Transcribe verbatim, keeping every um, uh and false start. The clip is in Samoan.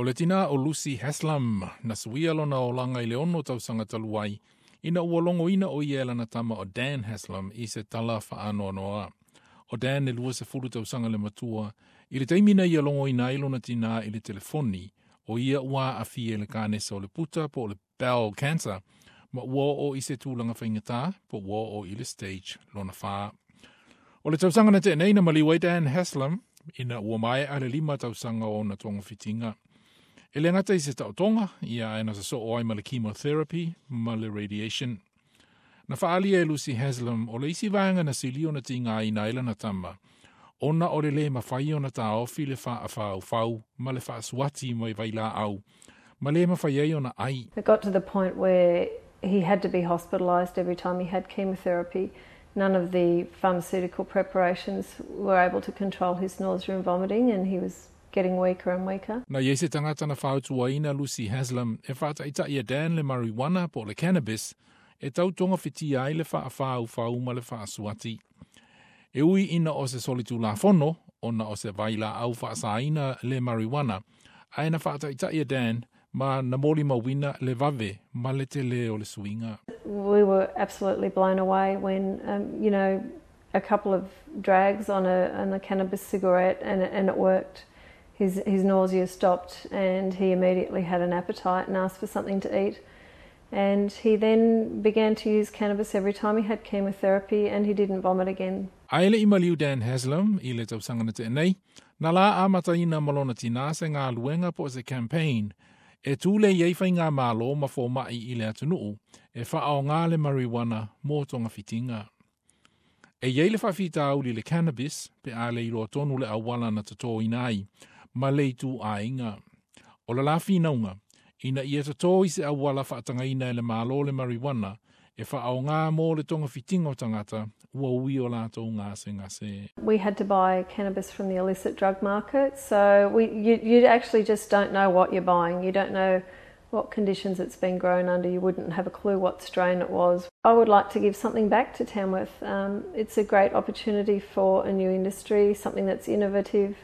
O le tina o Lucy Haslam, na suia lona olaga i le ono tausaga talu ai, ina ua logoina o ia e lana tama o Dan Haslam i se tala faanoanoa. O Dan e lua sefulu tausaga le matua, i le taimi na ia logoina ai lona tina i le telefoni, o ia ua aafia i le kanesa o le puta po o le bowel cancer, ma ua oo i se tulaga faigata po ua oo i le stage lona fa. O le tausaga na tea nei na maliu ai Dan Haslam, ina ua maea le lima tausaga o ona togafitiga. E le gata i se taotoga, ia ae na sosoo ai ma le chemotherapy ma le radiation. Na faaalia e Lucy Haslam o le isi vaega na sili ona tigaina ai lana tama, ona o le lē mafai ona taofi le faafaufaufau ma le faasuati mai vailaau, ma le mafai ai ona ai. It got to the point where he had to be hospitalised every time he had chemotherapy. None of the pharmaceutical preparations were able to control his nausea and vomiting, and he was getting weaker and weaker. Na i ai se tagata na fautuaina Lucy Haslam e faataitai e Dan le marijuana po o le cannabis e tau togafitia ai le faafaufau ma le faasuati. E ui ina o se solitulafono, ona o se vailaau faasaina le marijuana, ae na faataitai e Dan ma na molimauina le vave ma le tele o le suiga. We were absolutely blown away when, um, you know, a couple of drags on a, on a cannabis cigarette and, and it worked. His, his nausea stopped and he immediately had an appetite and asked for something to eat. And he then began to use cannabis every time he had chemotherapy and he didn't vomit again. Ae le i maliu Dan Haslam i le tausaga na tea nei, na la amataina ma lona tina se galuega po o se campaign e tulei ai faigamalo ma fomai i le atunuu e faaoga le marijuana mo togafitiga. E i ai le faafitauli i le cannabis pe a le iloa tonu le auala na totoina ai ma le ituaiga. O le la finauga, ina ia toto i se auala faatagaina e le Malo le marijuana e faaoga mo le togafitiga o tagata ua ui o latou gasegase. We had to buy cannabis from the illicit drug market, so we, you, you actually just don't know what you're buying. You don't know what conditions it's been grown under. You wouldn't have a clue what strain it was. I would like to give something back to Tamworth. Um, it's a great opportunity for a new industry, something that's innovative.